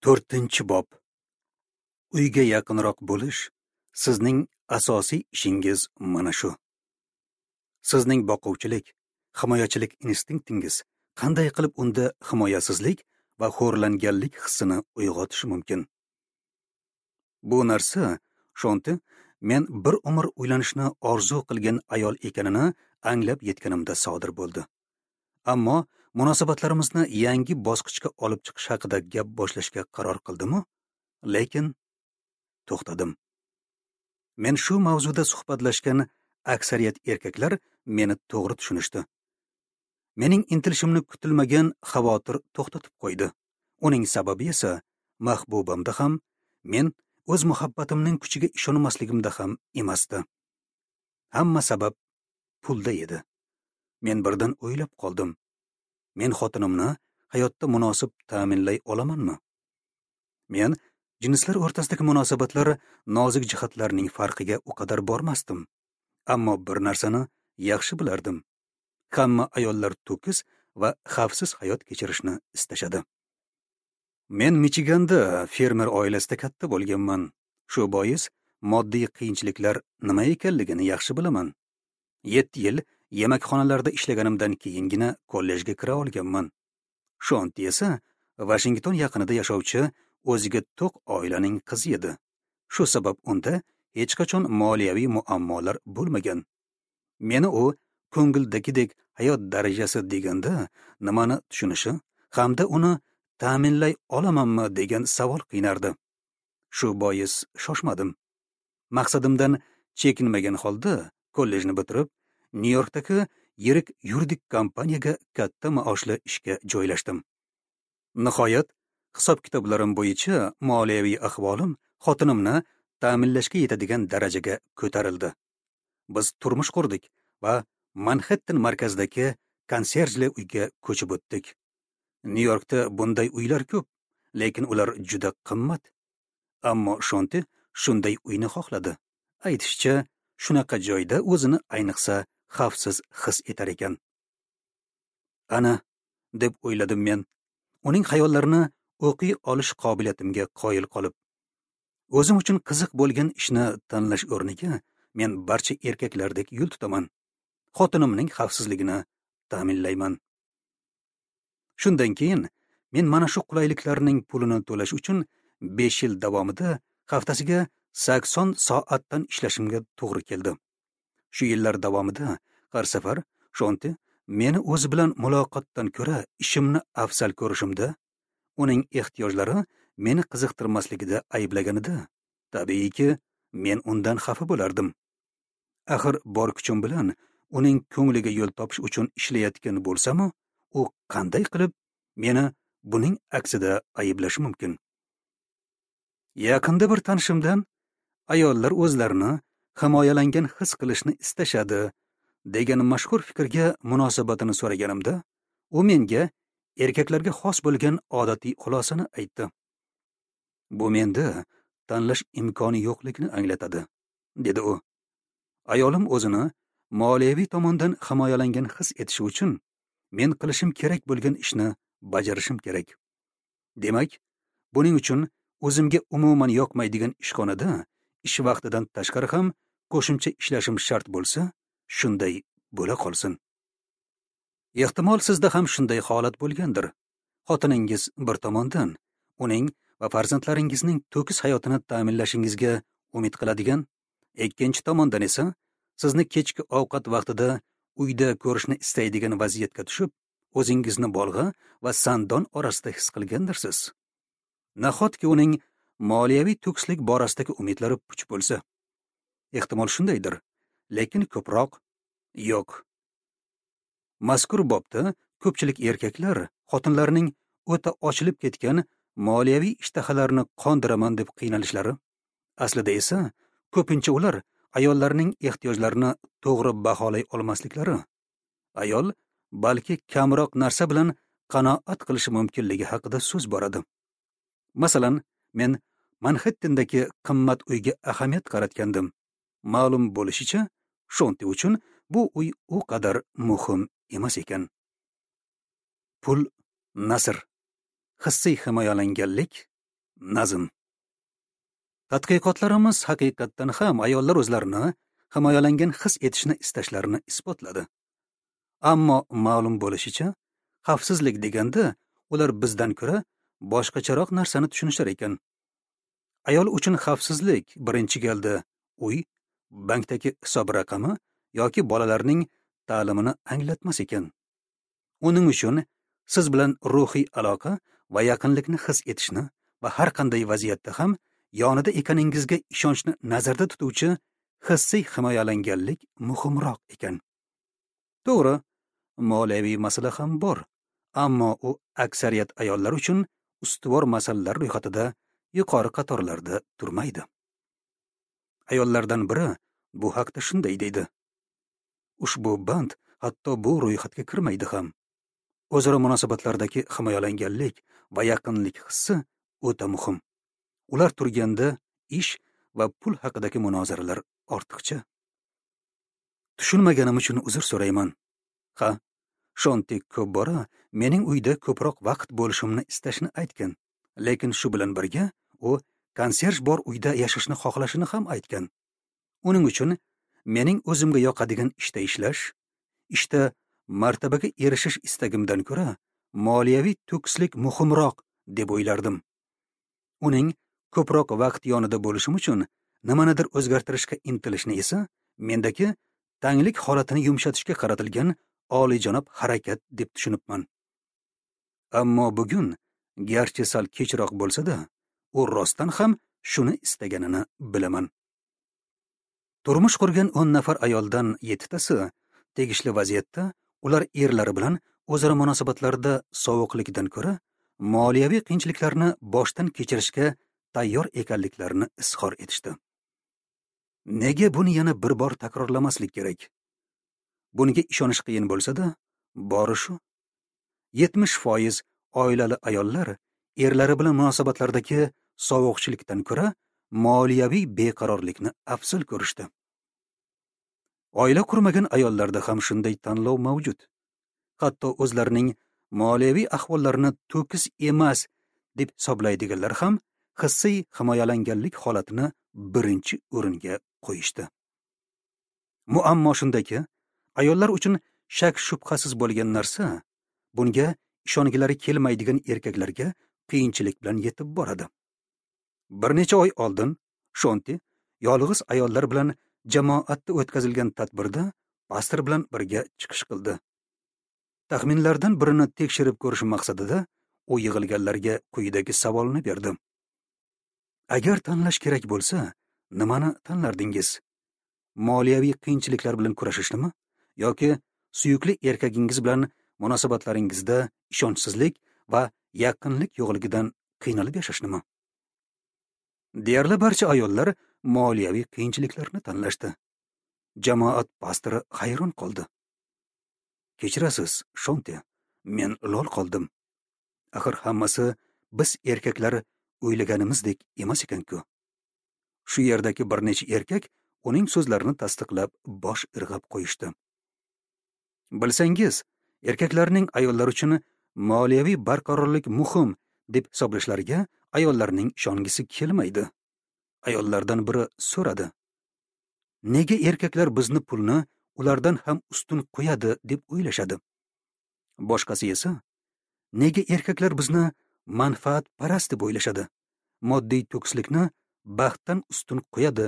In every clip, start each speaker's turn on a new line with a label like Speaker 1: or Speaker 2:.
Speaker 1: 4-bob. Uyga yaqinroq bo'lish sizning asosiy ishingiz mana shu. Sizning boquvchilik, himoyachilik instinktingiz qanday qilib unda himoyasizlik va xo'rlanganlik hissini uyg'otishi mumkin? Bu narsa Shonti men bir umr uylanishni orzu qilgan ayol ekanini anglab yetganimda sodir bo'ldi. Ammo munosabatlarimizni yangi bosqichga olib chiqish haqida gap boshlashga qaror qildim-u, lekin to'xtadim. Men shu mavzuda suhbatlashgan aksariyat erkaklar meni to'g'ri tushunishdi. Mening intilishimni kutilmagan xavotir to'xtatib qo'ydi. Uning sababi esa mahbubamda ham, men o'z muhabbatimning kuchiga ishonmasligimda ham emasdi. Hamma sabab pulda edi. Men birdan o'ylab qoldim. Men xotinimni hayotda munosib ta'minlay olamanmi? Men jinslar o'rtasidagi munosabatlar nozik jihatlarning farqiga u qadar bormasdim. Ammo bir narsani yaxshi bilardim. Hamma ayollar to'kis va xavfsiz hayot kechirishni istashadi. Men Michiganda fermer oilasida katta bo'lganman. Shu bois moddiy qiyinchiliklar nima ekanligini yaxshi bilaman. 7 yil yemakxonalarda ishlaganimdan keyingina kollejga kira olganman. Shonti esa Vashington yaqinida yashovchi o'ziga to'q oilaning qizi edi. Shu sabab unda hech qachon moliyaviy muammolar bo'lmagan. Meni u ko'ngildagidek hayot darajasi deganda nimani tushunishi hamda uni ta'minlay olamanmi degan savol qiynardi. Shu bois shoshmadim. Maqsadimdan chekinmagan holda kollejni bitirib, Nyu-Yorkdagi yirik yuridik kompaniyaga katta maoshli ishga joylashdim. Nihoyat, hisob-kitoblarim bo'yicha moliyaviy ahvolim xotinimni ta'minlashga yetadigan darajaga ko'tarildi. Biz turmush qurdik va Manhattan markazidagi konserjli uyga ko'chib o'tdik. Nyu-Yorkda bunday uylar ko'p, lekin ular juda qimmat. Ammo Shonti shunday uyni xohladi. Aytishicha, shunaqa joyda o'zini ayniqsa xavfsiz his etar ekan. Ana, deb o'yladim men, uning xayollarini o'qiy olish qobiliyatimga qoyil qolib. O'zim uchun qiziq bo'lgan ishni tanlash o'rniga men barcha erkaklardek yo'l tutaman. Xotinimning xavfsizligini ta'minlayman. Shundan keyin men mana shu qulayliklarning pulini to'lash uchun 5 yil davomida haftasiga 80 soatdan ishlashimga to'g'ri keldi. Shu yillar davomida har safar Shonti meni o'zi bilan muloqotdan ko'ra ishimni afzal ko'rishimda, uning ehtiyojlari meni qiziqtirmasligida ayblaganida, tabiiyki, men undan xafa bo'lardim. Axir bor kuchim bilan uning ko'ngliga yo'l topish uchun ishlayotgan bo'lsam-u, u qanday qilib meni buning aksida ayblashi mumkin? Yaqinda bir tanishimdan ayollar o'zlarini himoyalangan his qilishni istashadi degan mashhur fikrga munosabatini so'raganimda, u menga erkaklarga xos bo'lgan odatiy xulosani aytdi. Bu menda tanlash imkoni yo'qligini anglatadi, dedi u. Ayolim o'zini moliyaviy tomondan himoyalangan his etishi uchun men qilishim kerak bo'lgan ishni bajarishim kerak. Demak, buning uchun o'zimga umuman yoqmaydigan ishxonada ish vaqtidan tashqari ham qo'shimcha ishlashim shart bo'lsa, shunday bo'la qolsin. Ehtimol sizda ham shunday holat bo'lgandir. Xotiningiz bir tomondan uning va farzandlaringizning to'kis hayotini ta'minlashingizga umid qiladigan, ikkinchi tomondan esa sizni kechki ovqat vaqtida uyda ko'rishni istaydigan vaziyatga tushib, o'zingizni bolg'a va sandon orasida his qilgandirsiz. Nahotki uning moliyaviy to'kislik borasidagi umidlari puch bo'lsa? Ehtimol shundaydir, lekin ko'proq yo'q. Mazkur bobda ko'pchilik erkaklar xotinlarning o'ta ochilib ketgan moliyaviy ishtahalarini qondiraman deb qiynalishlari, aslida esa ko'pincha ular ayollarning ehtiyojlarini to'g'ri baholay olmasliklari, ayol balki kamroq narsa bilan qanoat qilishi mumkinligi haqida so'z boradi. Masalan, men Manhattandagi qimmat uyga ahamiyat qaratgandim. Ma'lum bo'lishicha, Shonti uchun bu uy u qadar muhim emas ekan. Pul nasr, hissiy himoyalanganlik Nazm. Tadqiqotlarimiz haqiqatdan ham ayollar o'zlarini himoyalangan his etishni istashlarini isbotladi. Ammo ma'lum bo'lishicha, xavfsizlik deganda ular bizdan ko'ra boshqacharoq narsani tushunishar ekan. Ayol uchun xavfsizlik birinchi galda uy, bankdagi hisob raqami yoki bolalarning ta'limini anglatmas ekan. Uning uchun siz bilan ruhiy aloqa va yaqinlikni his etishni va har qanday vaziyatda ham yonida ekaningizga ishonchni nazarda tutuvchi hissiy himoyalanganlik muhimroq ekan. To'g'ri, moliyaviy masala ham bor, ammo u aksariyat ayollar uchun ustuvor masalalar ro'yxatida yuqori qatorlarda turmaydi. Ayollardan biri bu haqda shunday deydi: ushbu band hatto bu ro'yxatga kirmaydi ham. O'zaro munosabatlardagi himoyalanganlik va yaqinlik hissi o'ta muhim. Ular turganda ish va pul haqidagi munozaralar ortiqcha. Tushunmaganim uchun uzr so'rayman. Ha, Shonti ko'p bora mening uyda ko'proq vaqt bo'lishimni istashini aytgan, lekin shu bilan birga u konserj bor uyda yashashni xohlashini ham aytgan. Uning uchun mening o'zimga yoqadigan ishda ishlash, ishda martabaga erishish istagimdan ko'ra moliyaviy to'kislik muhimroq deb o'ylardim. Uning ko'proq vaqt yonida bo'lishim uchun nimanidir o'zgartirishga intilishni esa mendagi tanglik holatini yumshatishga qaratilgan oliyjanob harakat deb tushunibman. Ammo bugun, garchi sal kechroq bo'lsa-da, u rostdan ham shuni istaganini bilaman. Turmush qurgan 10 nafar ayoldan 7tasi tegishli vaziyatda ular erlari bilan o'zaro munosabatlarda sovuqlikdan ko'ra moliyaviy qiyinchiliklarni boshdan kechirishga tayyor ekanliklarini izhor etishdi. Nega buni yana bir bor takrorlamaslik kerak? Bunga ishonish qiyin bo'lsa-da, bori shu. 70% oilali ayollar erlari bilan munosabatlardagi sovuqchilikdan ko'ra moliyaviy beqarorlikni afzal ko'rishdi. Oila qurmagan ayollarda ham shunday tanlov mavjud. Hatto o'zlarining moliyaviy ahvollarini to'kis emas deb hisoblaydiganlar ham hissiy himoyalanganlik holatini birinchi o'ringa qo'yishdi. Muammo shundaki, ayollar uchun shak shubhasiz bo'lgan narsa bunga ishongilari kelmaydigan erkaklarga qiyinchilik bilan yetib boradi. Bir necha oy oldin Shonti yolg'iz ayollar bilan jamoatda o'tkazilgan tadbirda pastor bilan birga chiqish qildi. Taxminlardan birini tekshirib ko'rish maqsadida u yig'ilganlarga quyidagi savolni berdi: agar tanlash kerak bo'lsa, nimani tanlardingiz? Moliyaviy qiyinchiliklar bilan kurashishnimi yoki suyukli erkagingiz bilan munosabatlaringizda ishonchsizlik va yaqinlik yo'qligidan qiynalib yashashnimi? Deyarli barcha ayollar moliyaviy qiyinchiliklarni tanlashdi. Jamoat pastori hayron qoldi. Kechirasiz, Shonti, men lol qoldim. Axir hammasi biz erkaklar o'ylaganimizdek emas ekan-ku. Shu yerdagi bir necha erkak uning so'zlarini tasdiqlab bosh irg'ab qo'yishdi. Bilsangiz, erkaklarning ayollar uchun moliyaviy barqarorlik muhim deb hisoblashlariga ayollarning ishongisi kelmaydi. Ayollardan biri so'radi: nega erkaklar bizni pulni ulardan ham ustun qo'yadi deb o'ylashadi? Boshqasi esa, nega erkaklar bizni manfaatparast deb o'ylashadi, moddiy to'kislikni baxtdan ustun qo'yadi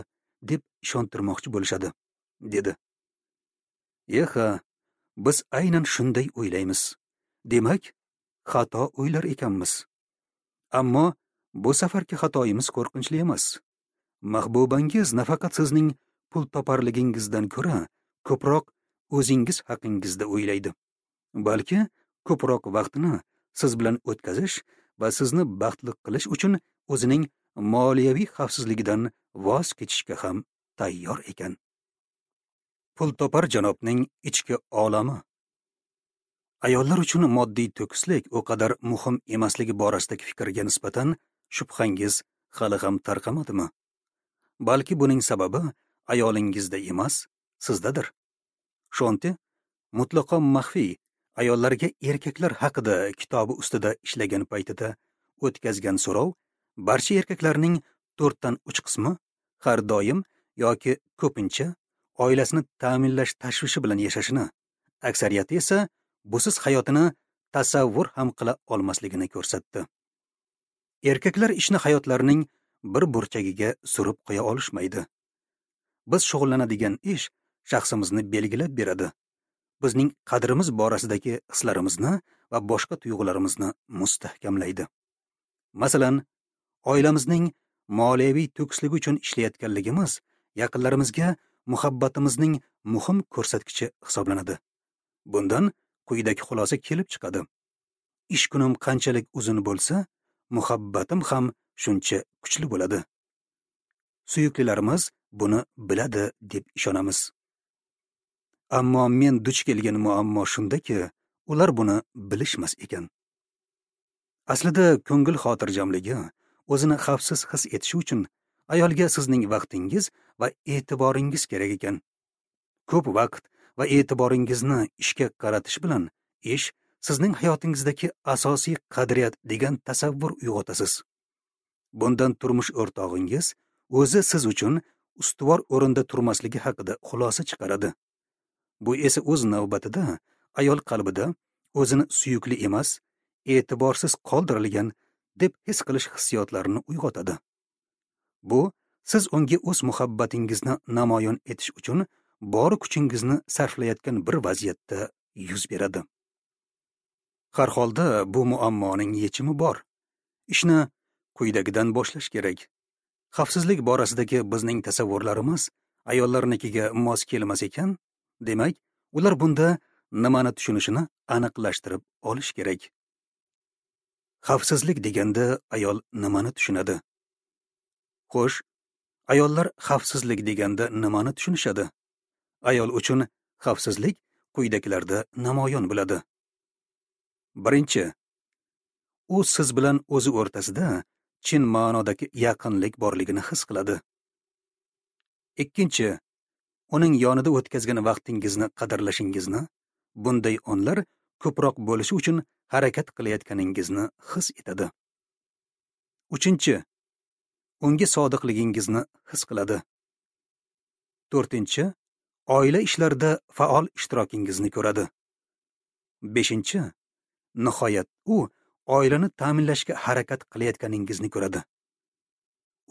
Speaker 1: deb ishontirmoqchi bo'lishadi, dedi. Eha, biz aynan shunday o'ylaymiz. Demak, xato o'ylar ekanmiz. Ammo bu safargi xatoyimiz qo'rqinchli emas. Mahbubangiz nafaqat sizning pul toparligingizdan ko'ra ko'proq o'zingiz haqingizda o'ylaydi, balki ko'proq vaqtini siz bilan o'tkazish va sizni baxtli qilish uchun o'zining moliyaviy xavfsizligidan voz kechishga ham tayyor ekan. Pul topar janobning ichki olami. Ayollar uchun moddiy to'kislik u qadar muhim emasligi borasidagi fikrga nisbatan shubhangiz hali ham tarqamadimi? Balki buning sababi ayolingizda emas, sizdadir. Shonti mutlaqo maxfiy ayollarga erkaklar haqida kitobi ustida ishlagan paytida o'tkazgan so'rov Barcha erkaklarning 4dan 3 qismi har doim yoki ko'pincha oilasini ta'minlash tashvishi bilan yashashini, aksariyati esa busiz hayotini tasavvur ham qila olmasligini ko'rsatdi. Erkaklar ishni hayotlarining bir burchagiga surib qo'ya olishmaydi. Biz shug'ullanadigan ish shaxsimizni belgilab beradi. Bizning qadrimiz borasidagi hislarimizni va boshqa tuyg'ularimizni mustahkamlaydi. Masalan, oilamizning moliyaviy to'kisligi uchun ishlayotganligimiz yaqinlarimizga muhabbatimizning muhim ko'rsatkichi hisoblanadi. Bundan quyidagi xulosa kelib chiqadi. Ish kunim qanchalik uzun bo'lsa, muhabbatim ham shuncha kuchli bo'ladi. Suyuklilarimiz buni biladi deb ishonamiz. Ammo men duch kelgan muammo shundaki, ular buni bilishmas ekan. Aslida ko'ngil xotirjamligi, o'zini xavfsiz his etishi uchun ayolga sizning vaqtingiz va e'tiboringiz kerak ekan. Ko'p vaqt va e'tiboringizni ishga qaratish bilan ish sizning hayotingizdagi asosiy qadriyat degan tasavvur uyg'otasiz. Bundan turmush o'rtog'ingiz o'zi siz uchun ustuvor o'rinda turmasligi haqida xulosa chiqaradi. Bu esa o'z navbatida ayol qalbida o'zini suyukli emas, e'tiborsiz qoldirilgan deb his qilish hissiyotlarini uyg'otadi. Bu siz unga o'z muhabbatingizni namoyon etish uchun bor kuchingizni sarflayotgan bir vaziyatda yuz beradi. Har holda bu muammoning yechimi bor. Ishni quyidagidan boshlash kerak. Xavfsizlik borasidagi bizning tasavvurlarimiz ayollarnikiga mos kelmas ekan, demak, ular bunda nimani tushunishini aniqlashtirib olish kerak. Xavfsizlik deganda ayol nimani tushunadi? Xo'sh, ayollar xavfsizlik deganda nimani tushunishadi? Ayol uchun xavfsizlik quyidagilarda namoyon bo'ladi. Birinchi, u siz bilan o'zi o'rtasida chin ma'nodagi yaqinlik borligini his qiladi. Ikkinchi, uning yonida o'tkazgan vaqtingizni qadrlashingizni, bunday onlar ko'proq bo'lishi uchun harakat qilayotganingizni his etadi. Uchinchi, unga sodiqligingizni his qiladi. To'rtinchi, oila ishlarida faol ishtirokingizni ko'radi. Beshinchi, nihoyat u oilani ta'minlashga harakat qilayotganingizni ko'radi.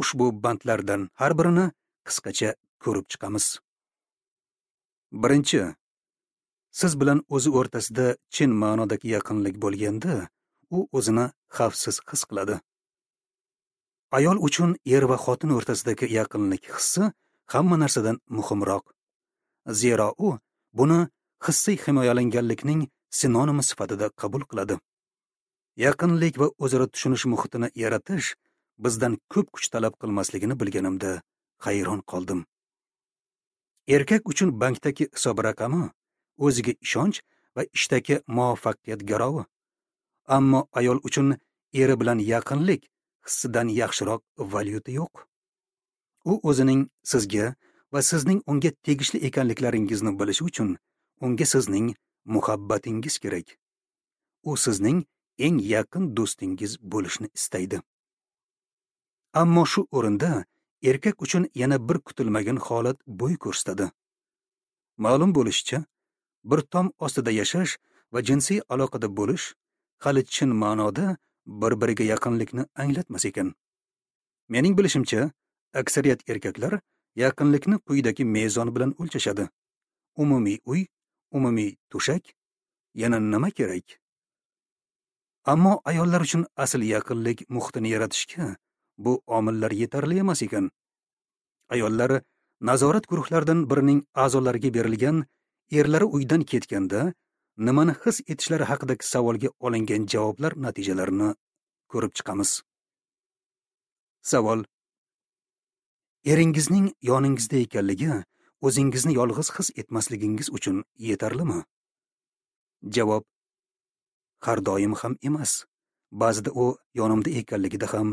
Speaker 1: Ushbu bandlardan har birini qisqacha ko'rib chiqamiz. Birinchi, siz bilan o'zi o'rtasida chin ma'nodagi yaqinlik bo'lganda, u o'zini xavfsiz his qiladi. Ayol uchun er va xotin o'rtasidagi yaqinlik hissi hamma narsadan muhimroq. Zero u buni hissiy himoyalanganlikning sinonimi sifatida qabul qiladi. Yaqinlik va o'zaro tushunish muhitini yaratish bizdan ko'p kuch talab qilmasligini bilganimda hayron qoldim. Erkak uchun bankdagi hisob raqami o'ziga ishonch va ishdagi muvaffaqiyat garovi. Ammo ayol uchun eri bilan yaqinlik hissidan yaxshiroq valyuta yo'q. U o'zining sizga va sizning unga tegishli ekanliklaringizni bilishi uchun unga sizning muhabbatingiz kerak. U sizning eng yaqin do'stingiz bo'lishni istaydi. Ammo shu o'rinda erkak uchun yana bir kutilmagan holat bo'y ko'rsatadi. Ma'lum bo'lishicha, bir tom ostida yashash va jinsiy aloqada bo'lish hali chin ma'noda bir-biriga yaqinlikni anglatmas ekan. Mening bilishimcha, aksariyat erkaklar yaqinlikni quyidagi mezon bilan o'lchashadi. Umumiy uy, umumiy to'shak, yana nima kerak? Ammo ayollar uchun asl yaqinlik muhitini yaratishga bu omillar yetarli emas ekan. Ayollar nazorat guruhlaridan birining a'zolariga berilgan erlari uydan ketganda nimani his etishlari haqidagi savolga olingan javoblar natijalarini ko'rib chiqamiz. Savol: eringizning yoningizda ekanligi o'zingizni yolg'iz his etmasligingiz uchun yetarlimi? Javob: har doim ham emas. Ba'zida u yonimda ekanligida ham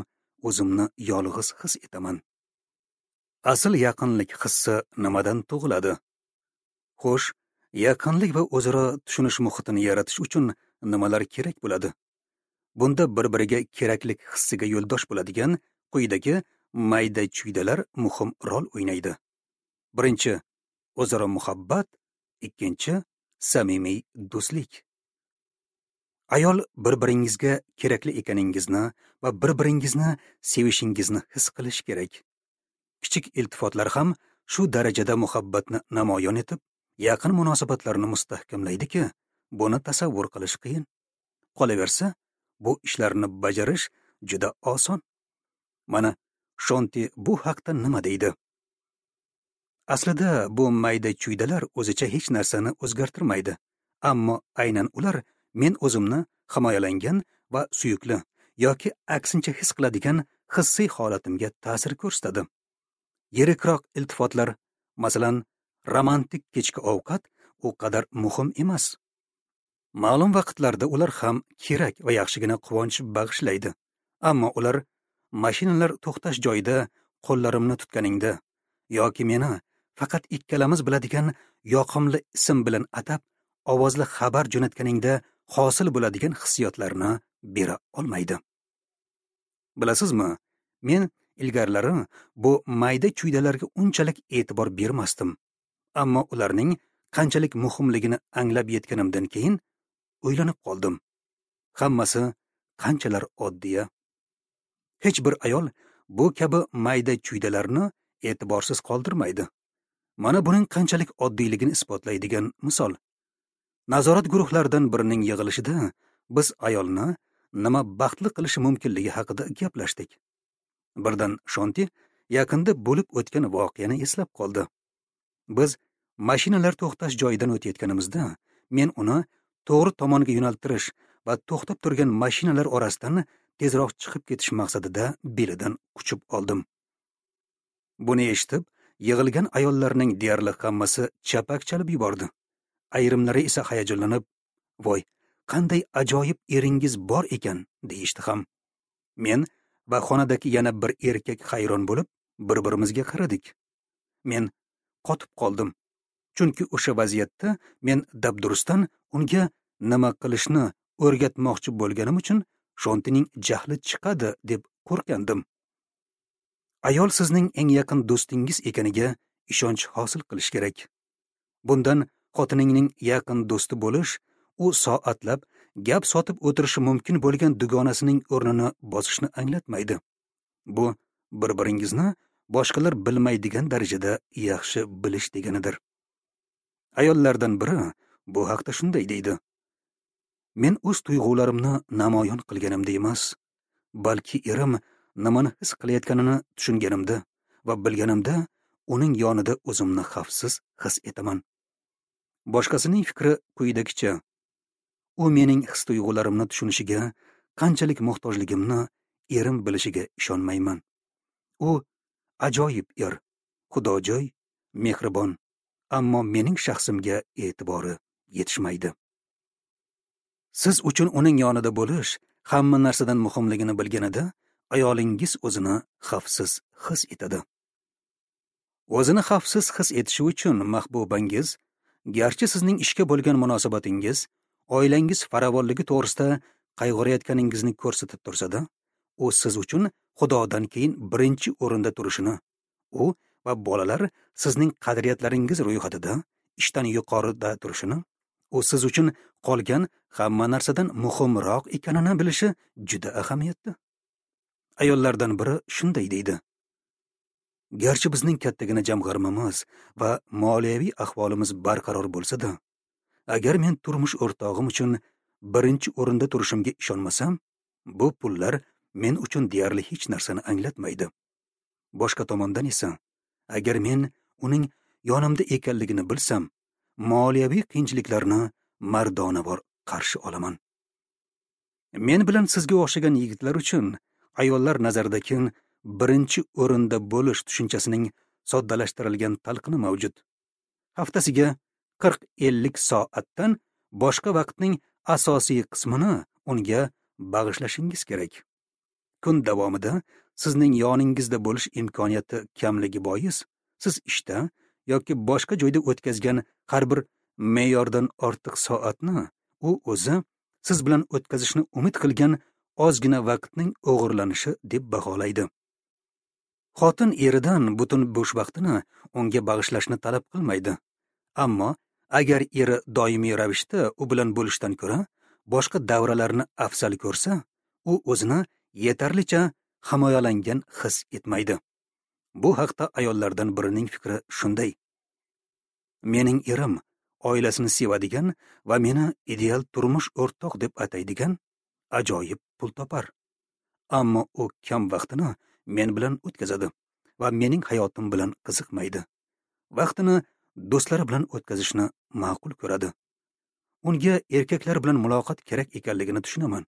Speaker 1: o'zimni yolg'iz his etaman. Asl yaqinlik hissi nimadan tug'iladi? Xo'sh, yaqinlik va o'zaro tushunish muhitini yaratish uchun nimalar kerak bo'ladi? Bunda bir-biriga keraklik hissiga yo'ldosh bo'ladigan quyidagi mayda-chuydalar muhim rol o'ynaydi. Birinchi, o'zaro muhabbat, ikkinchi, samimiy do'stlik. Ayol bir-biringizga kerakli ekaningizni va bir-biringizni sevishingizni his qilish kerak. Kichik iltifotlar ham shu darajada muhabbatni namoyon etib, yaqin munosabatlarni mustahkamlaydiki, buni tasavvur qilish qiyin. Qolaversa, bu ishlarni bajarish juda oson. Mana Shonti bu haqda nima deydi? Aslida bu mayda-chuydalar o'zicha hech narsani o'zgartirmaydi, ammo aynan ular men o'zimni himoyalangan va suyukli yoki aksincha his qiladigan hissiy holatimga ta'sir ko'rsatadi. Yirikroq iltifotlar, masalan, romantik kechki ovqat u qadar muhim emas. Ma'lum vaqtlarda ular ham kerak va yaxshigina quvonch bag'ishlaydi. Ammo ular mashinalar to'xtash joyida qo'llarimni tutganingda yoki meni faqat ikkalamiz biladigan yoqimli ism bilan atab ovozli xabar jo'natganingda hosil bo'ladigan hissiyotlarni bera olmaydi. Bilasizmi, men ilgarilari bu mayda-chuydalarga unchalik e'tibor bermasdim. Ammo ularning qanchalik muhimligini anglab yetganimdan keyin o'ylanib qoldim. Hammasi qanchalar oddiy. Hech bir ayol bu kabi mayda-chuydalarni e'tiborsiz qoldirmaydi. Mana buning qanchalik oddiyligini isbotlaydigan misol. Nazorat guruhlaridan birining yig'ilishida biz ayolni nima baxtli qilishi mumkinligi haqida gaplashdik. Birdan Shonti yaqinda bo'lib o'tgan voqeani eslab qoldi. Biz mashinalar to'xtash joyidan o'tayotganimizda men uni to'g'ri tomonga yo'naltirish va to'xtab turgan mashinalar orasidan tezroq chiqib ketish maqsadida belidan quchib oldim. Buni eshitib, yig'ilgan ayollarning deyarli hammasi chapak chalib yubordi. Ayrimlari esa hayajonlanib, "Voy, qanday ajoyib eringiz bor ekan" deyishdi ham. Men va xonadagi yana bir erkak hayron bo'lib, bir-birimizga qaradik. Men qotib qoldim. Chunki o'sha vaziyatda men dabdurustdan unga nima qilishni o'rgatmoqchi bo'lganim uchun Shontining jahli chiqadi deb qo'rqgandim. Ayol sizning eng yaqin do'stingiz ekaniga ishonch hosil qilish kerak. Bundan xotiningning yaqin do'sti bo'lish, u soatlab gap sotib o'tirishi mumkin bo'lgan dugonasining o'rnini bosishni anglatmaydi. Bu bir-biringizni boshqalar bilmaydigan darajada yaxshi bilish deganidir. Ayollardan biri bu haqda shunday deydi: Men o'z tuyg'ularimni namoyon qilganimda emas, balki erim nimani his qilayotganini tushunganimda va bilganimda uning yonida o'zimni xavfsiz his etaman. Boshqasining fikri quyidagicha: u mening his-tuyg'ularimni tushunishiga qanchalik muhtojligimni erim bilishiga ishonmayman. U ajoyib er, xudojo'y, mehribon, ammo mening shaxsimga e'tibori yetishmaydi. Siz uchun uning yonida bo'lish hamma narsadan muhimligini bilganida ayolingiz o'zini xavfsiz his etadi. O'zini xavfsiz his etishi uchun mahbubangiz, garchi sizning ishga bo'lgan munosabatingiz, oilangiz farovonligi to'g'risida qayg'urayotganingizni ko'rsatib tursa-da, u siz uchun Xudodan keyin birinchi o'rinda turishini, u va bolalar sizning qadriyatlaringiz ro'yxatida ishdan yuqorida turishini, u siz uchun qolgan hamma narsadan muhimroq ekanini bilishi juda ahamiyatli. Ayollardan biri shunday deydi: Garchi bizning kattagina jamg'armamiz va moliyaviy ahvolimiz barqaror bo'lsa-da, agar men turmush o'rtog'im uchun birinchi o'rinda turishimga ishonmasam, bu pullar men uchun deyarli hech narsani anglatmaydi. Boshqa tomondan esa, agar men uning yonimda ekanligini bilsam, moliyaviy qiyinchiliklarni mardonavor qarshi olaman. Men bilan sizga o'xshagan yigitlar uchun ayollar nazaridagi birinchi o'rinda bo'lish tushunchasining soddalashtirilgan talqini mavjud. Haftasiga 40-50 soatdan boshqa vaqtning asosiy qismini unga bag'ishlashingiz kerak. Kun davomida sizning yoningizda bo'lish imkoniyati kamligi bois, siz ishda yoki boshqa joyda o'tkazgan har bir me'yordan ortiq soatni u o'zi siz bilan o'tkazishni umid qilgan ozgina vaqtning o'g'irlanishi deb baholaydi. Xotin eridan butun bo'sh vaqtini unga bag'ishlashni talab qilmaydi. Ammo agar eri doimiy ravishda u bilan bo'lishdan ko'ra boshqa davralarni afzal ko'rsa, u o'zini yetarlicha himoyalangan his etmaydi. Bu haqda ayollardan birining fikri shunday: mening erim oilasini sevadigan va meni ideal turmush o'rtoq deb ataydigan ajoyib pul topar. Ammo u kam vaqtini men bilan o'tkazadi va mening hayotim bilan qiziqmaydi. Vaqtini do'stlari bilan o'tkazishni ma'qul ko'radi. Unga erkaklar bilan muloqot kerak ekanligini tushunaman.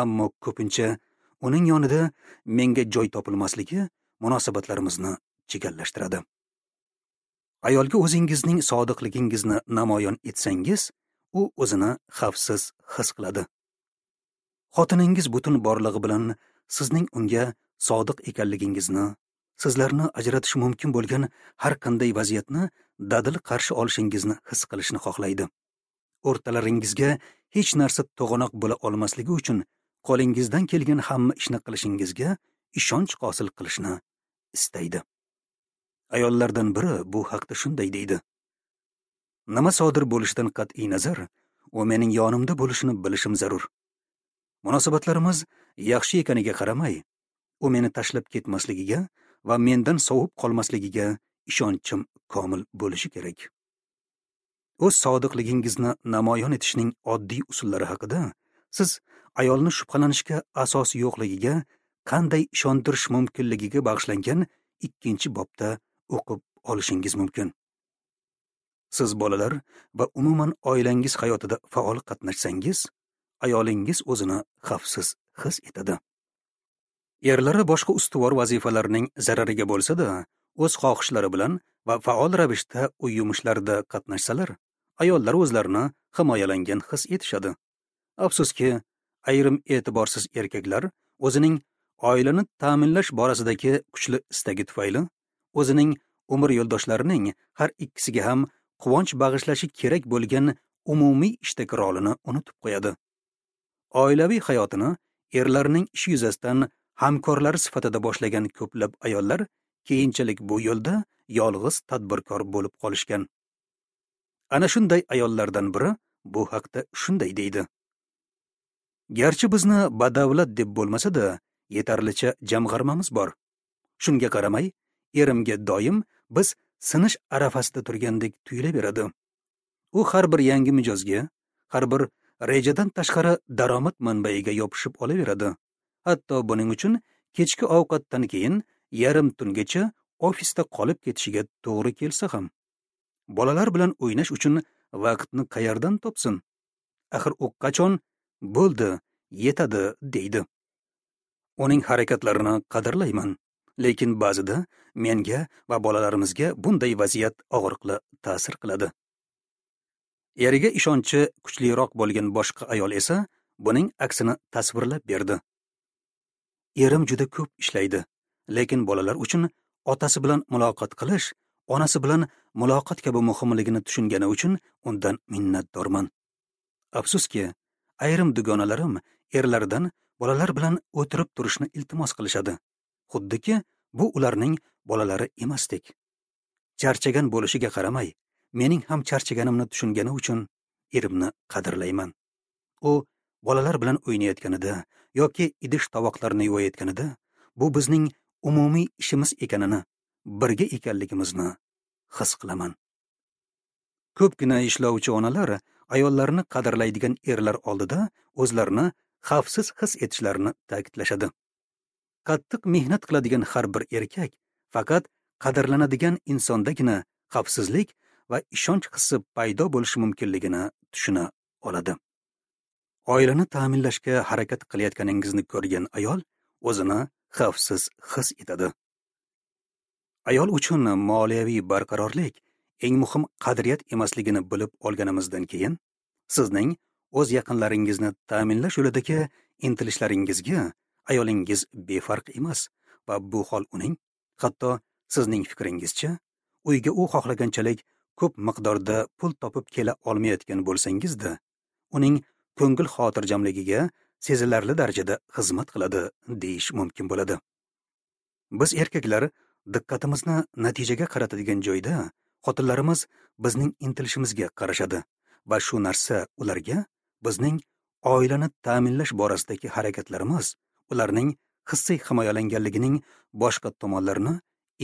Speaker 1: Ammo ko'pincha uning yonida menga joy topilmasligi munosabatlarimizni chigallashtiradi. Ayolga o'zingizning sodiqligingizni namoyon etsangiz, u o'zini xavfsiz his qiladi. Xotiningiz butun borlig'i bilan sizning unga sodiq ekanligingizni, sizlarni ajratish mumkin bo'lgan har qanday vaziyatni dadil qarshi olishingizni his qilishni xohlaydi. O'rtalaringizga hech narsa to'g'anoq bo'la olmasligi uchun qo'lingizdan kelgan hamma ishni qilishingizga ishonch hosil qilishni istaydi. Ayollardan biri bu haqda shunday deydi: nima sodir bo'lishidan qat'iy nazar, u mening yonimda bo'lishini bilishim zarur. Munosabatlarimiz yaxshi ekaniga qaramay, u meni tashlab ketmasligiga va mendan sovib qolmasligiga ishonchim komil bo'lishi kerak. O'z sodiqligingizni namoyon etishning oddiy usullari haqida siz ayolni shubhalanishga asos yo'qligiga qanday ishontirish mumkinligiga bag'ishlangan 2-bobda o'qib olishingiz mumkin. Siz bolalar va umuman oilangiz hayotida faol qatnashsangiz, ayolingiz o'zini xavfsiz his etadi. Erlari boshqa ustuvor vazifalarning zarariga bo'lsa-da, o'z xohishlari bilan va faol ravishda uy yumushlarida qatnashsalar, ayollar o'zlarini himoyalangan his etishadi. Afsuski, ayrim e'tiborsiz erkaklar o'zining oilani ta'minlash borasidagi kuchli istagi tufayli o'zining umr yo'ldoshlarining har ikkisiga ham quvonch bag'ishlashi kerak bo'lgan umumiy ishdagi rolini unutib qo'yadi. Oilaviy hayotini erlarning ishi yuzasidan hamkorlari sifatida boshlagan ko'plab ayollar keyinchalik bu yo'lda yolg'iz tadbirkor bo'lib qolishgan. Ana shunday ayollardan biri bu haqda shunday deydi: garchi bizni badavlat deb bo'lmasa-da, yetarlicha jamg'armamiz bor. Shunga qaramay, erimga doim biz sinish arafasida turgandek tuyulaveradi. U har bir yangi mijozga, har bir rejadan tashqari daromad manbaiga yopishib olaveradi. Hatto buning uchun kechki ovqatdan keyin yarim tungacha ofisda qolib ketishiga to'g'ri kelsa ham. Bolalar bilan o'ynash uchun vaqtni qayerdan topsin? Axir u qachon bo'ldi, yetadi deydi. Uning harakatlarini qadrlayman, lekin ba'zida menga va bolalarimizga bunday vaziyat og'riqli ta'sir qiladi. Eriga ishonchi kuchliroq bo'lgan boshqa ayol esa buning aksini tasvirlab berdi. Erim juda ko'p ishlaydi, lekin bolalar uchun otasi bilan muloqot qilish, onasi bilan muloqot kabi muhimligini tushungani uchun undan minnatdorman. Afsuski, ayrim dugonalarim erlaridan bolalar bilan o'tirib turishni iltimos qilishadi. Xuddiki, bu ularning bolalari emasdek. Charchagan bo'lishiga qaramay, mening ham charchaganimni tushungani uchun erimni qadrlayman. U bolalar bilan o'ynayotganida yoki idish tovoqlarni yuvayotganida bu bizning umumiy ishimiz ekanini, birga ekanligimizni his qilaman. Ko'pgina ishlovchi onalar ayollarni qadrlaydigan erlar oldida o'zlarini xavfsiz his etishlarini ta'kidlashadi. Qattiq mehnat qiladigan har bir erkak faqat qadrlanadigan insondagina xavfsizlik va ishonch hissi paydo bo'lishi mumkinligini tushuna oladi. Oilani ta'minlashga harakat qilayotganingizni ko'rgan ayol o'zini xavfsiz his etadi. Ayol uchun moliyaviy barqarorlik eng muhim qadriyat emasligini bilib olganimizdan keyin, sizning o'z yaqinlaringizni ta'minlash yo'lidagi intilishlaringizga ayolingiz befarq emas va bu hol uning, hatto sizning fikringizcha, uyga u xohlaganchalik ko'p miqdorda pul topib kela olmayotgan bo'lsangiz-da, uning ko'ngil xotirjamligiga sezilarli darajada xizmat qiladi deyish mumkin bo'ladi. Biz erkaklar diqqatimizni natijaga qaratadigan joyda xotinlarimiz bizning intilishimizga qarashadi va shu narsa ularga bizning oilani ta'minlash borasidagi harakatlarimiz ularning hissiy himoyalanganligining boshqa tomonlarini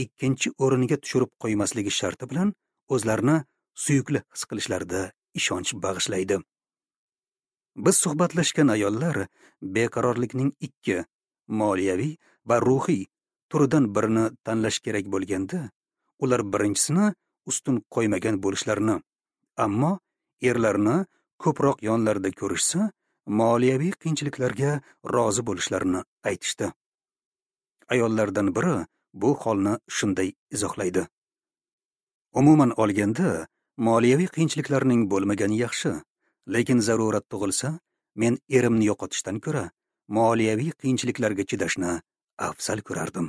Speaker 1: ikkinchi o'ringa tushirib qo'ymasligi sharti bilan o'zlarini suyukli his qilishlarida ishonch bag'ishlaydi. Biz suhbatlashgan ayollar beqarorlikning ikki, moliyaviy va ruhiy turidan birini tanlash kerak bo'lganda, ular birinchisini ustun qo'ymagan bo'lishlarini, ammo erlarni ko'proq yonlarida ko'rishsa, moliyaviy qiyinchiliklarga rozi bo'lishlarini aytishdi. Ayollardan biri bu holni shunday izohlaydi: Umuman olganda, moliyaviy qiyinchiliklarning bo'lmagani yaxshi, lekin zarurat tug'ilsa, men erimni yo'qotishdan ko'ra moliyaviy qiyinchiliklarga chidashni afzal ko'rardim.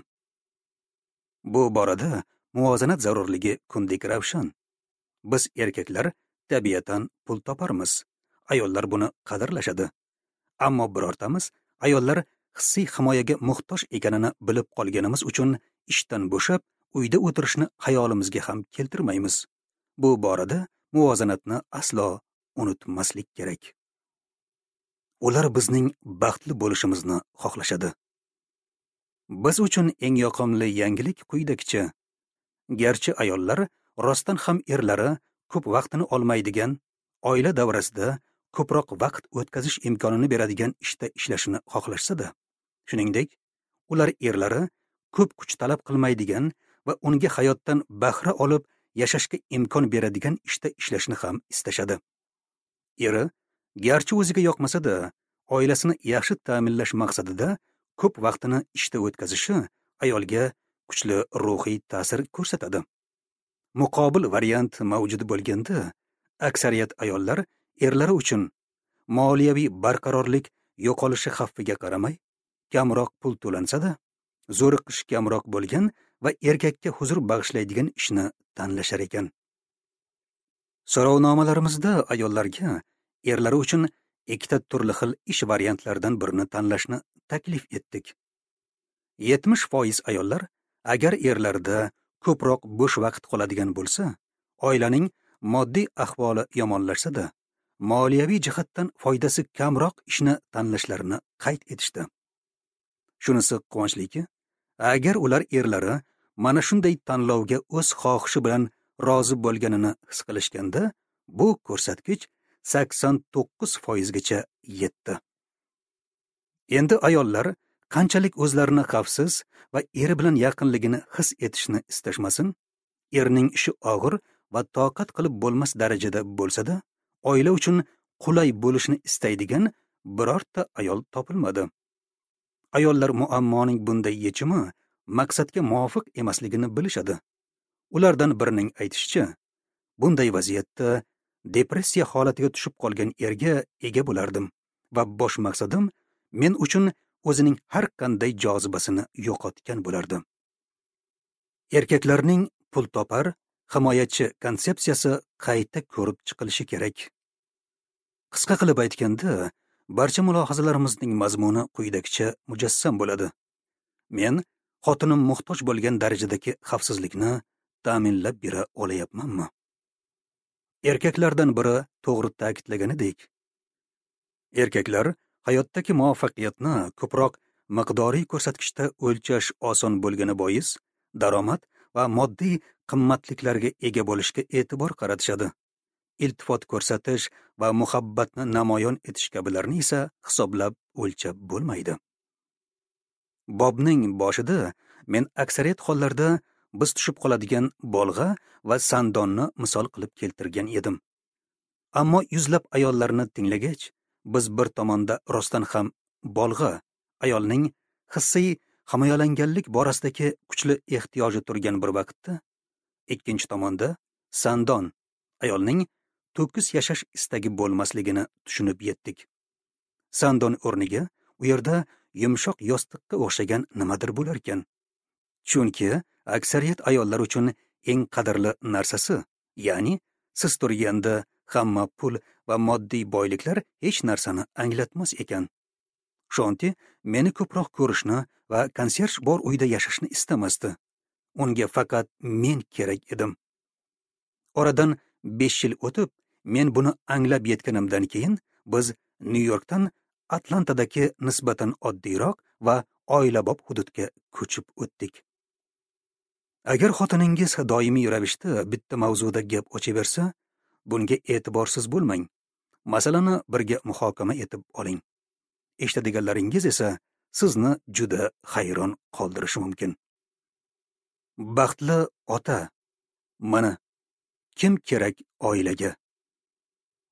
Speaker 1: Bu borada muvozanat zarurligi kundek ravshan. Biz erkaklar tabiatan pul toparmiz. Ayollar buni qadrlashadi. Ammo birortamiz ayollar hissiy himoyaga muhtoj ekanini bilib qolganimiz uchun ishdan bo'shab, uyda o'tirishni xayolimizga ham keltirmaymiz. Bu borada muvozanatni aslo unutmaslik kerak. Ular bizning baxtli bo'lishimizni xohlashadi. Biz uchun eng yoqimli yangilik quyidagicha. Garchi ayollar rostdan ham erlari ko'p vaqtini olmaydigan, oila davrasida ko'proq vaqt o'tkazish imkonini beradigan ishda ishlashini xohlashsa-da, shuningdek, ular erlari ko'p kuch talab qilmaydigan va unga hayotdan bahra olib yashashga imkon beradigan ishda ishlashni ham istashadi. Eri, garchi o'ziga yoqmasa-da, oilasini yaxshi ta'minlash maqsadida ko'p vaqtini ishda o'tkazishi ayolga kuchli ruhiy ta'sir ko'rsatadi. Muqobil variant mavjud bo'lganda, aksariyat ayollar erlari uchun moliyaviy barqarorlik yo'qolishi xavfiga qaramay, kamroq pul to'lansa-da, zo'riqish kamroq bo'lgan va erkakka huzur bag'ishlaydigan ishni tanlashar ekan. So'rovnomalarimizda ayollarga erlari uchun ikkita turli xil ish variantlaridan birini tanlashni taklif etdik. 70% ayollar agar erlarida ko'proq bo'sh vaqt qoladigan bo'lsa, oilaning moddiy ahvoli yomonlashsa-da, moliyaviy jihatdan foydasi kamroq ishni tanlashlarini qayd etishdi. Shunisi quvonchliki, agar ular erlari mana shunday tanlovga o'z xohishi bilan rozi bo'lganini his qilishganda, bu ko'rsatkich 89% gacha yetdi. Endi ayollar qanchalik o'zlarini xavfsiz va eri bilan yaqinligini his etishni istashmasin, erning ishi og'ir va toqat qilib bo'lmas darajada bo'lsa-da, oila uchun qulay bo'lishni istaydigan birorta ayol topilmadi. Ayollar muammoning bunday yechimi maqsadga muvofiq emasligini bilishadi. Ulardan birining aytishicha, bunday vaziyatda depressiya holatiga tushib qolgan erga ega bo'lardim va bosh maqsadim men uchun o'zining har qanday jozibasini yo'qotgan bo'lardi. Erkaklarning pul topar, himoyachi konsepsiyasi qayta ko'rib chiqilishi kerak. Qisqa qilib aytganda, barcha mulohazalarimizning mazmuni quyidagicha mujassam bo'ladi. Men xotinim muhtoj bo'lgan darajadagi xavfsizlikni ta'minlab bera olayapmanmi? Erkaklardan biri to'g'ri ta'kidlaganidek, erkaklar hayotdagi muvaffaqiyatni ko'proq miqdoriy ko'rsatkichda o'lchash oson bo'lgani bois, daromad va moddiy qimmatliklarga ega bo'lishga e'tibor qaratishadi. Iltifot ko'rsatish va muhabbatni namoyon etish kabilarni esa hisoblab o'lchab bo'lmaydi. Bobning boshida men aksariyat hollarda biz tushib qoladigan bolg'a va sandonni misol qilib keltirgan edim. Ammo yuzlab ayollarni tinglagach, biz bir tomonda rostdan ham bolg'a, ayolning hissiy himoyalanganlik borasidagi kuchli ehtiyoji turgan bir vaqtda, ikkinchi tomonda sandon, ayolning to'kis yashash istagi bo'lmasligini tushunib yetdik. Sandon o'rniga u yerda yumshoq yostiqqa o'xshagan nimadir bo'lar ekan. Chunki aksariyat ayollar uchun eng qadrli narsasi, ya'ni siz turganda hamma pul va moddiy boyliklar hech narsani anglatmas ekan. Shonti meni ko'proq ko'rishni va konserj bor uyda yashashni istamasdi. Unga faqat men kerak edim. Oradan 5 yil o'tib, men buni anglab yetganimdan keyin biz Nyu-Yorkdan Atlantadagi nisbatan oddiyroq va oilabop hududga ko'chib o'tdik. Agar xotiningiz doimiy ravishda bitta mavzuda gap ochaversa, bunga e'tiborsiz bo'lmang. Masalani birga muhokama etib oling. Eshitadiganlaringiz esa sizni juda hayron qoldirishi mumkin. Baxtli ota. Mana kim kerak oilaga?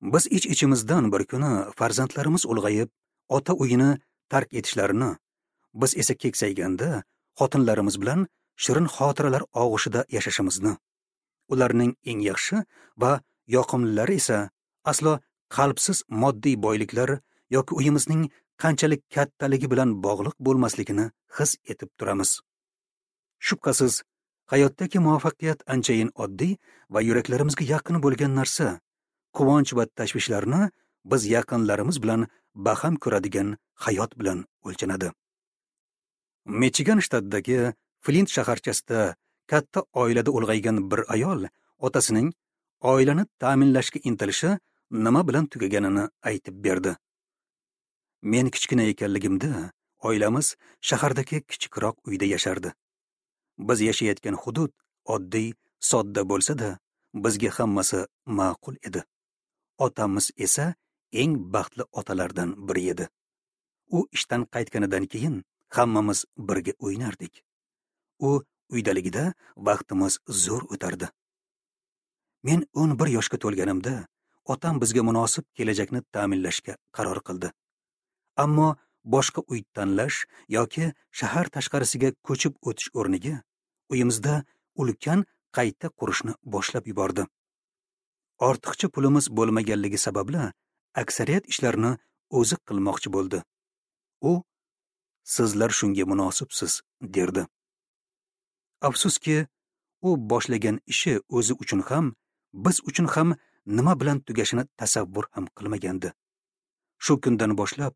Speaker 1: Biz ich-ichimizdan bir kuni farzandlarimiz ulg'ayib, ota uyini tark etishlarini, biz esa keksayganda xotinlarimiz bilan shirin xotiralar og'ushida yashashimizni, ularning eng yaxshi va yoqimlilari esa aslo qalbsiz moddiy boyliklar yoki uyimizning qanchalik kattaligi bilan bog'liq bo'lmasligini his etib turamiz. Shubhasiz, hayotdagi muvaffaqiyat anchayin oddiy va yuraklarimizga yaqin bo'lgan narsa, quvonch va tashvishlarni biz yaqinlarimiz bilan baham ko'radigan hayot bilan o'lchanadi. Michigan shtatidagi Flint shaharchasida katta oilada ulg'aygan bir ayol otasining oilani ta'minlashga intilishi nima bilan tugaganini aytib berdi. Men kichkina ekanligimda oilamiz shahardagi kichikroq uyda yashardi. Biz yashayotgan hudud oddiy, sodda bo'lsa-da, bizga hammasi ma'qul edi. Otamiz esa eng baxtli otalardan biri edi. U ishdan qaytganidan keyin hammamiz birga o'ynardik. U uydaligida vaqtimiz zo'r o'tardi. Men 11 yoshga to'lganimda otam bizga munosib kelajakni ta'minlashga qaror qildi. Ammo boshqa uy tanlash yoki shahar tashqarisiga ko'chib o'tish o'rniga uyimizda ulkan qayta qurishni boshlab yubordi. Ortiqcha pulimiz bo'lmaganligi sababli aksariyat ishlarni o'zi qilmoqchi bo'ldi. U "Sizlar shunga munosibsiz" derdi. Afsuski, u boshlagan ishi o'zi uchun ham, biz uchun ham nima bilan tugashini tasavvur ham qilmagandi. Shu kundan boshlab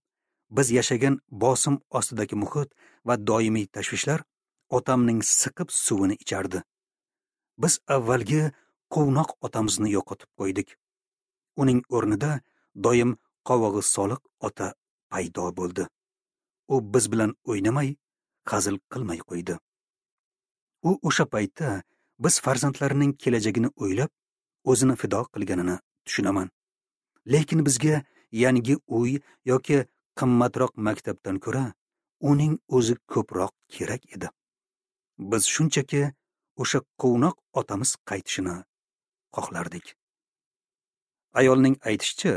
Speaker 1: biz yashagan bosim ostidagi muhit va doimiy tashvishlar otamning siqib suvini ichardi. Biz avvalgi quvnoq otamizni yo'qotib qo'ydik. Uning o'rnida doim qovog'i soliq ota paydo bo'ldi. U biz bilan o'ynamay, hazil qilmay qo'ydi. U o'sha paytda biz farzandlarining kelajagini o'ylab, o'zini fido qilganini tushunaman. Lekin bizga yangi uy yoki qimmatroq maktabdan ko'ra uning o'zi ko'proq kerak edi. Biz shunchaki o'sha quvnoq otamiz qaytishini xohlardik. Ayolning aytishicha,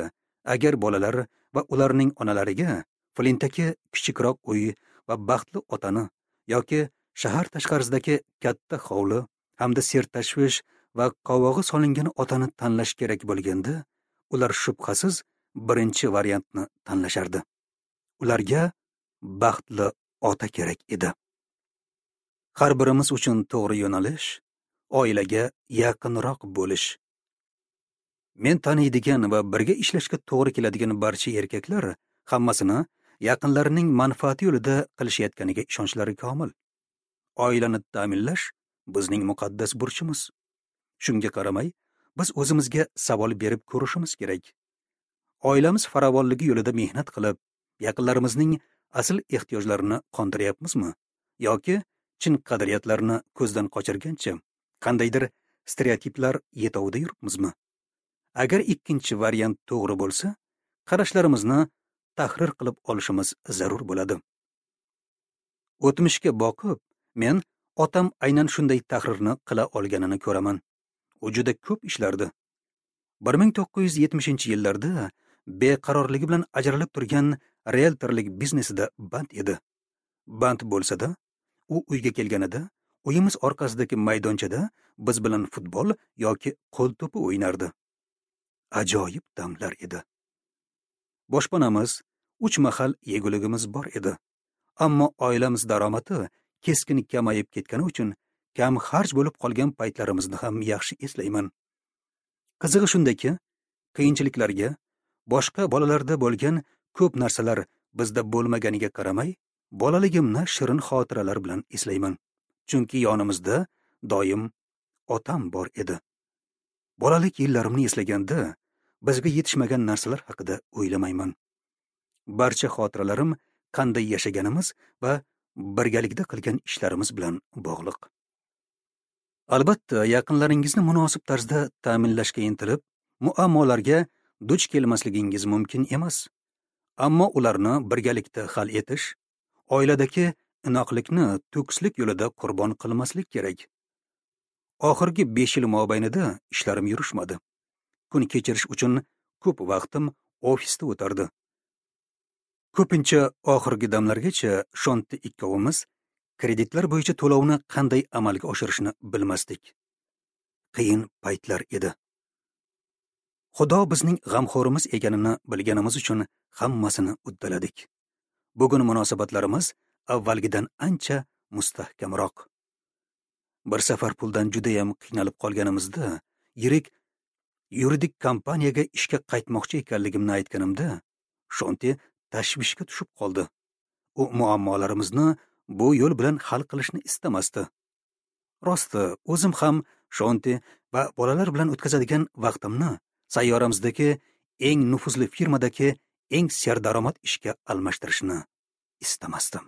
Speaker 1: agar bolalar va ularning onalariga Flintdagi kichikroq uy va baxtli otani yoki shahar tashqarisidagi katta hovli hamda sertashvish va qovog'i solingan otani tanlash kerak bo'lganda, ular shubhasiz birinchi variantni tanlashardi. Ularga baxtli ota kerak edi. Har birimiz uchun to'g'ri yo'nalish oilaga yaqinroq bo'lish. Men taniydigan va birga ishlashga to'g'ri keladigan barcha erkaklar hammasini yaqinlarining manfaati yo'lida qilishayotganiga ishonchlari komil. Oilani ta'minlash bizning muqaddas burchimiz. Shunga qaramay, biz o'zimizga savol berib ko'rishimiz kerak. Oilamiz farovonligi yo'lida mehnat qilib, yaqinlarimizning asl ehtiyojlarini qondiryapmizmi yoki chin qadriyatlarni ko'zdan qochirgancha qandaydir stereotiplar yetovida yuribmizmi? Agar ikkinchi variant to'g'ri bo'lsa, qarashlarimizni tahrir qilib olishimiz zarur bo'ladi. O'tmishga boqib, men otam aynan shunday tahrirni qila olganini ko'raman. U juda ko'p ishlardi. 1970-yillarda beqarorligi bilan ajralib turgan rieltorlik biznesida band edi. Band bo'lsa-da, u uyga kelganida uyimiz orqasidagi maydonchada biz bilan futbol yoki qo'l to'pi o'ynardi. Ajoyib damlar edi. Boshpanamiz, 3 mahal yeguligimiz bor edi. Ammo oilamiz daromadi keskin kamayib ketgani uchun kam xarj bo'lib qolgan paytlarimizni ham yaxshi eslayman. Qizig'i shundaki, qiyinchiliklarga boshqa bolalarda bo'lgan ko'p narsalar bizda bo'lmaganiga qaramay, bolaligimni shirin xotiralar bilan eslayman. Chunki yonimizda doim otam bor edi. Bolalik yillarimni eslaganda bizga yetishmagan narsalar haqida o'ylamayman. Barcha xotiralarim qanday yashaganimiz va birgalikda qilgan ishlarimiz bilan bog'liq. Albatta, yaqinlaringizni munosib tarzda ta'minlashga intilib, muammolarga duch kelmasligingiz mumkin emas. Ammo ularni birgalikda hal etish, oiladagi inoqlikni to'kislik yo'lida qurbon qilmaslik kerak. Oxirgi 5 yil mobaynida ishlarim yurishmadi. Kun kechirish uchun ko'p vaqtim ofisda o'tardi. Ko'pincha oxirgi damlargacha Shonti ikkovimiz kreditlar bo'yicha to'lovni qanday amalga oshirishni bilmasdik. Qiyin paytlar edi. Xudo bizning g'amxo'rimiz ekanini bilganimiz uchun hammasini uddaladik. Bugun munosabatlarimiz avvalgidan ancha mustahkamroq. Bir safar puldan juda ham qiynalib qolganimizda, yirik yuridik kompaniyaga ishga qaytmoqchi ekanligimni aytganimda, Shonti tashvishga tushib qoldi. U muammolarimizni bu yo'l bilan hal qilishni istamasdi. Rosti, o'zim ham Shonti va bolalar bilan o'tkazadigan vaqtimni sayyoramizdagi eng nufuzli firmadagi eng serdaromad ishga almashtirishni istamasdim.